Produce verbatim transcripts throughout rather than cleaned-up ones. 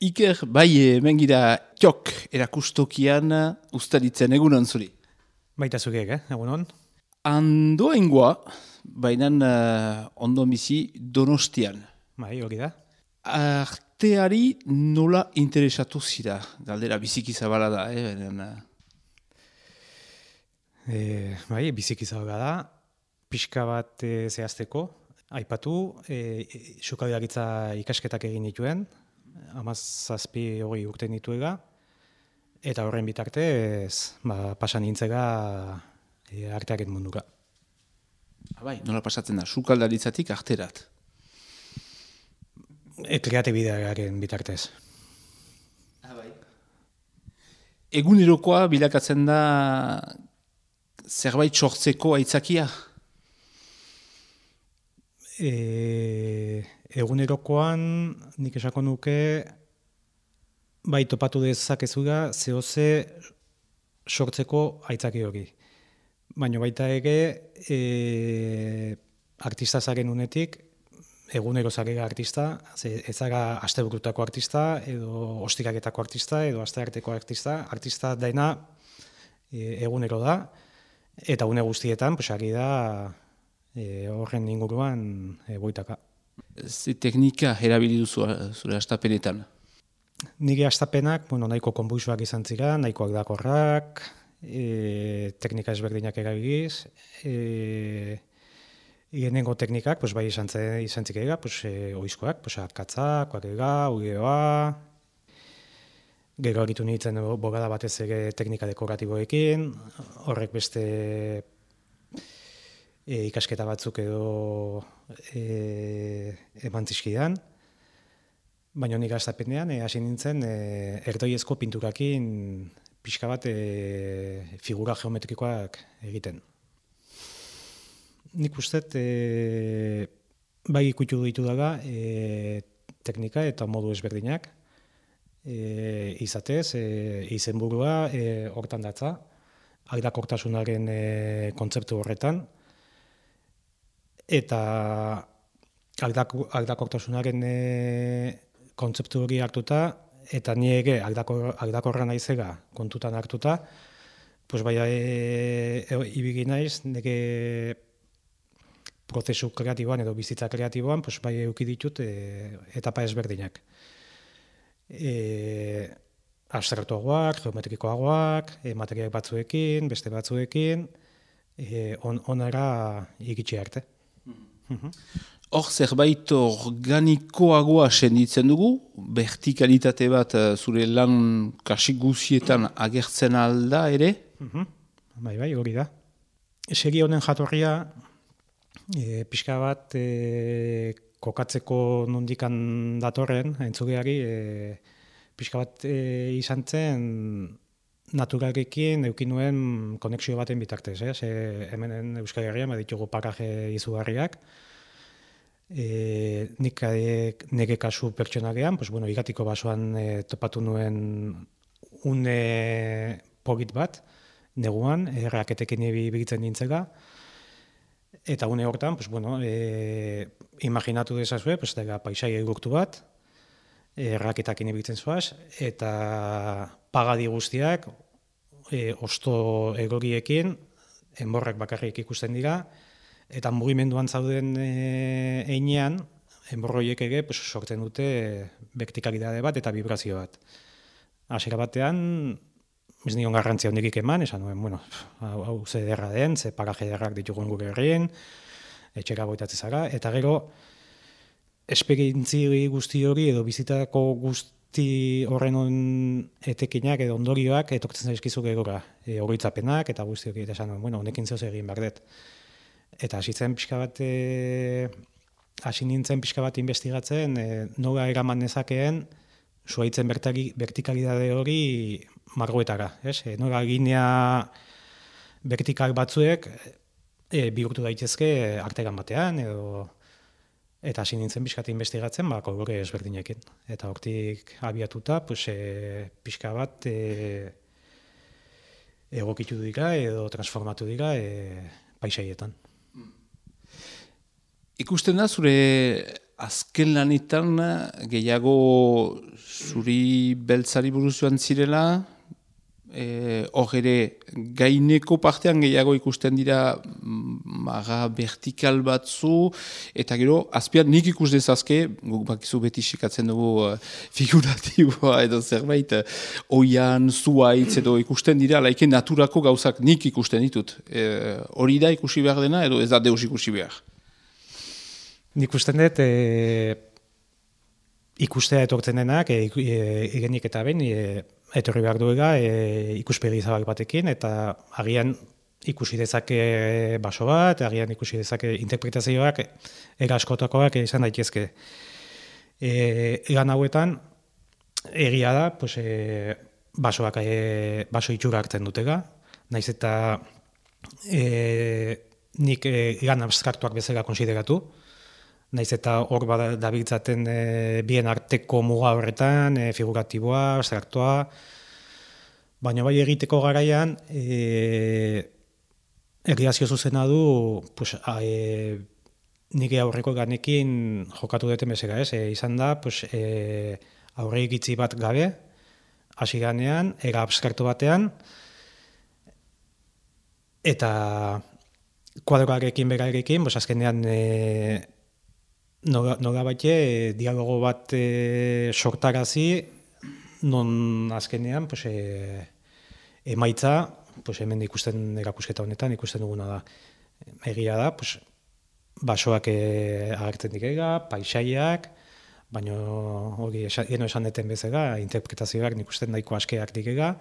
Iker, bai, hemen gira Tiok erakustokian ustaritzen egunon zuri. Baita zugeek, eh? Egunon? Andoengoa, baina uh, ondo bizi Donostian. Bai, hori da. Arteari nola interesatu zira? Galdera biziki zabala da, eh? Baina, E, bai, biziki zabala da. Pixka bat e, zehazteko. Aipatu, e, sukaldaritza ikasketak egin dituen. Hamazazpi hori urte nituega. Eta horren bitartez, ba, pasan nintzega e, artearen mundura. bai, nola pasatzen da? Sukaldaritzatik arterat. E, kreatibidearen bitartez. bai. Egunerokoa bilakatzen da zerbait sortzeko aitzakia? E, egunerokoan nik esako nuke bai topatu dezakezula zehoze sortzeko aitzaki hori. Baina baita ere e, artista zaren unetik, egunero zarela artista, ze ez zara asteburutako artista, edo ostikaketako artista, edo astearteko artista, artista daena e, egunero da, eta une guztietan, pues, ari da e, horren inguruan e, boitaka. Ze teknika erabili duzu zure astapenetan? Nire astapenak, bueno, nahiko konbuisuak izan zira, nahiko aldakorrak, e, teknika ezberdinak erabiliz, e, lehenengo teknikak, pues, bai izan, izan zikera, pues, e, oizkoak, pues, arkatza, kuarela, ugeoa, gero agitu nintzen bogada batez ere teknika dekoratiboekin, horrek beste e, ikasketa batzuk edo e, eman zizkidan. Baina nik astapenean e, hasi nintzen e, erdoiezko pinturakin pixka bat e, figura geometrikoak egiten. Nik uste e, bai ikutu ditu daga e, teknika eta modu ezberdinak. E, izatez, e, izenburua e, hortan datza, aldakortasunaren e, kontzeptu horretan, eta aldako, aldakortasunaren e, kontzeptu hori hartuta, eta ni ere aldakor, aldakorra naizela kontutan hartuta, pues bai e, e, ibili naiz, nire prozesu kreatiboan edo bizitza kreatiboan, pues bai eduki ditut e, etapa ezberdinak. E, abstraktuagoak, geometrikoagoak, e, material batzuekin, beste batzuekin, e, on, onara iritsi arte. Mm-hmm. Hor zerbait organikoagoa senditzen dugu, vertikalitate bat zure lan kasik guzietan agertzen alda ere? Mm-hmm. Bai, bai, hori da. Segi honen jatorria, e, pixka bat e, kokatzeko nondikan datorren, entzugeari, e, pixka bat e, izan zen naturalekin eukin nuen konexio baten bitartez. Eh? Ze hemen Euskal Herrian baditugu paraje izugarriak. E, nik nire kasu pertsonalean, pues, bueno, igatiko basoan e, topatu nuen une polit bat, neguan, erraketekin ibitzen nintzela. Eta une hortan, pues, bueno, e, imaginatu dezazue, pues, dela paisai egurtu bat, erraketakin ibiltzen zoaz, eta pagadi guztiak, e, osto egoriekin, enborrak bakarrik ikusten dira, eta mugimenduan zauden e, einean, enborroiek ere pues, sortzen dute vertikalidade bat eta vibrazio bat. Hasiera batean, ez nion garrantzia hondik eman, esan nuen, bueno, hau, hau ze derra den, ze paraje derrak ditugun gure herrien, etxera boitatzen zara, eta gero, esperientzi guzti hori edo bizitako guzti horren on etekinak edo ondorioak etortzen zaizkizu gerora, e, oroitzapenak eta guzti hori, eta esan nuen, bueno, honekin zehoz egin behar dut. Eta hasi zen pixka bat, e, hasi nintzen pixka bat investigatzen, e, nola eraman nezakeen, zuaitzen vertikalidade hori margoetara, ez? E, nola linea vertikal batzuek e, bihurtu daitezke artegan batean, edo eta hasi nintzen pixka bat investigatzen, ba, kolore ezberdinekin. Eta hortik abiatuta, pues, e, pixka bat e, egokitu dira edo transformatu dira e, paisaietan. Ikusten da zure azken lanetan gehiago zuri beltzari buruz joan zirela, hor e, ere gaineko partean gehiago ikusten dira maga vertikal batzu, eta gero azpian nik ikus dezazke, guk bakizu beti sekatzen dugu uh, figuratiboa edo zerbait, uh, oian, zuaitz edo ikusten dira, laike naturako gauzak nik ikusten ditut. E, hori da ikusi behar dena edo ez da deus ikusi behar? Nik ikusten dut, e, ikustea etortzen denak, e, e, egenik eta ben, e, etorri behar duega e, ikuspegi zabal batekin, eta agian ikusi dezake baso bat, agian ikusi dezake interpretazioak, era askotakoak izan daitezke. E, egan hauetan, egia da, pues, e, basoak, e, baso itxura hartzen dutega, naiz eta e, nik e, egan abstraktuak bezala konsideratu, naiz eta hor dabiltzaten e, bien arteko muga horretan, e, figuratiboa, abstraktua, baina bai egiteko garaian, e, erlazio zuzena du, pues, a, e, nire aurreko ganekin jokatu duten bezala, ez? E, izan da, pues, e, aurre egitzi bat gabe, hasi ganean, era abstraktu batean, eta kuadroarekin berarekin, pues, azkenean, e, nola baite, dialogo bat e, sortarazi, non azkenean pues, e, emaitza, pues, hemen ikusten erakusketa honetan, ikusten duguna da. Egia da, pues, basoak e, agertzen direla, paisaiak, baina hori geno esan deten bezala, interpretazioak nik usten nahiko askeak direla,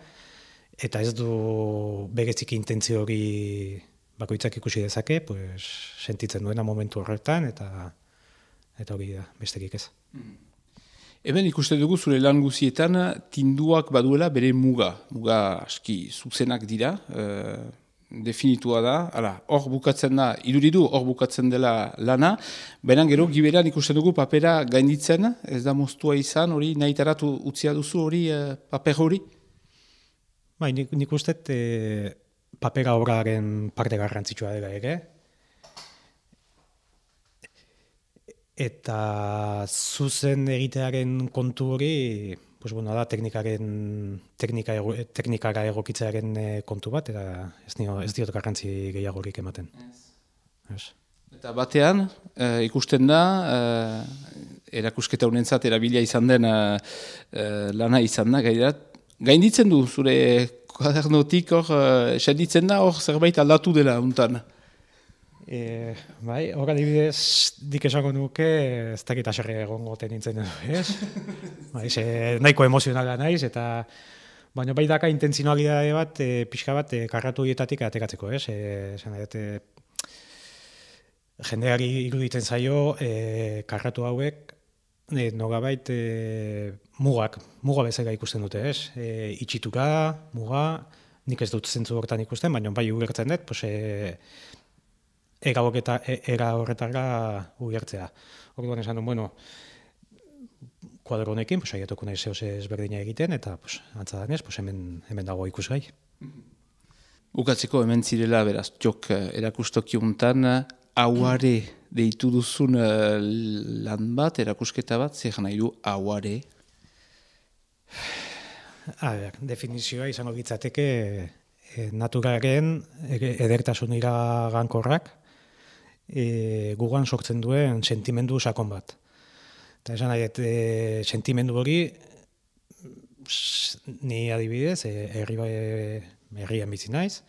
eta ez du berezik intentzio hori bakoitzak ikusi dezake, pues, sentitzen duena momentu horretan, eta eta hori da, besterik ez. Hemen ikusten dugu zure lan guzietan tinduak baduela bere muga. Muga aski zuzenak dira, e, definitua da, hala, hor bukatzen da, iduridu hor bukatzen dela lana, baina gero giberan ikusten dugu papera gainditzen, ez da moztua izan, hori nahitaratu utzia duzu hori, e, paper hori? Bai, nik, nik uste e, papera horaren parte garrantzitsua dela ere, eta zuzen egitearen kontu hori, pues bueno, da teknikaren teknika ego, teknikara egokitzearen kontu bat, eta ez, nio, ez diot garrantzi gehiagorik ematen. Yes. Eta batean, e, ikusten da, e, erakusketa honentzat erabilia izan den e, lana izan da, gairat, gainditzen du zure kuadernotik hor, e, senditzen da hor zerbait aldatu dela untan. E, bai, hor adibidez, dik esango nuke, ez dakit aserre egongo nintzen edo, ez? Bai, ze, nahiko emozionala naiz, eta baina bai daka intentzionalidade bat, e, pixka bat, e, karratu hietatik ateratzeko, ez? E, esan dut, e, jendeari iruditzen zaio, e, karratu hauek, e, nogabait, e, mugak, muga bezala ikusten dute, ez? E, itxitura, muga, nik ez dut zentzu horretan ikusten, baina bai ulertzen dut, pues, e, Ega horretara ugertzea. Orduan esan duen, bueno, kuadro honekin, pues, aiatuko nahi zehose ezberdina egiten, eta pues, antza danez, pues, hemen, hemen dago ikusgai. Bukatzeko hemen zirela, beraz, txok erakustoki untan, auare deitu duzun lan bat, erakusketa bat, zer nahi du auare? A ber, definizioa izango gitzateke e, naturaren edertasun iragankorrak, E, gugan sortzen duen sentimendu sakon bat. Eta esan nahi, e, sentimendu hori, ni adibidez, herri e, herrian bizi naiz,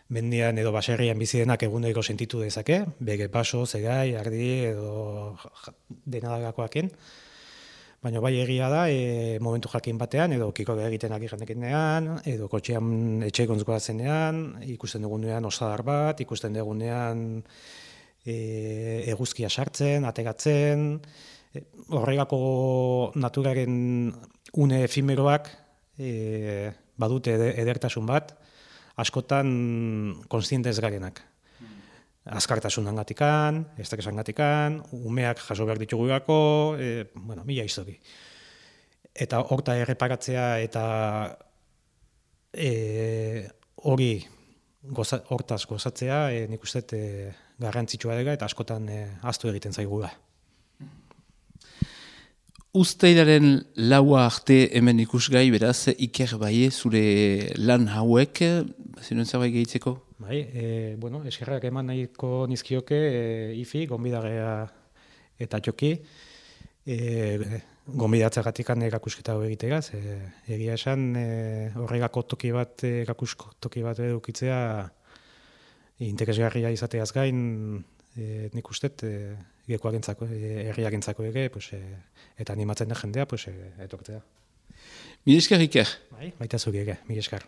mendian edo baserrian bizi denak egunero sentitu dezake, bere baso, zegai, ardi edo denadagakoaken, baina bai egia da, e, momentu jakin batean, edo kiko egiten ari janekinean, edo kotxean etxe gontzkoa zenean, ikusten dugunean osadar bat, ikusten dugunean E, eguzkia sartzen, ateratzen, e, horregako naturaren une efimeroak e, badute edertasun bat, askotan kontzientez garenak. Azkartasun angatikan, estresan gatikan, umeak jaso behar ditugurako, e, bueno, mila histori. Eta horta erreparatzea eta e, hori goza, hortaz gozatzea, e, nik uste e, garrantzitsua dela eta askotan e, ahaztu egiten zaigula. Uztailaren laua arte hemen ikusgai, beraz, Iker Baie zure lan hauek, zinuen zerbait gehitzeko? Bai, e, bueno, eskerrak eman nahiko nizkioke e, ifi, gonbidarea eta joki, e, gonbidatzagatik erakusketa hau egitegaz, e, egia esan e, horregako toki bat, erakusko toki bat edukitzea interesgarria izateaz gain, e, nik ustet, e, gekoagentzako, e, herriagentzako ere, pues, e, eta animatzen da jendea, pues, e, etortzea. Mil esker, Iker. Bai, baita zuge ere, mil esker.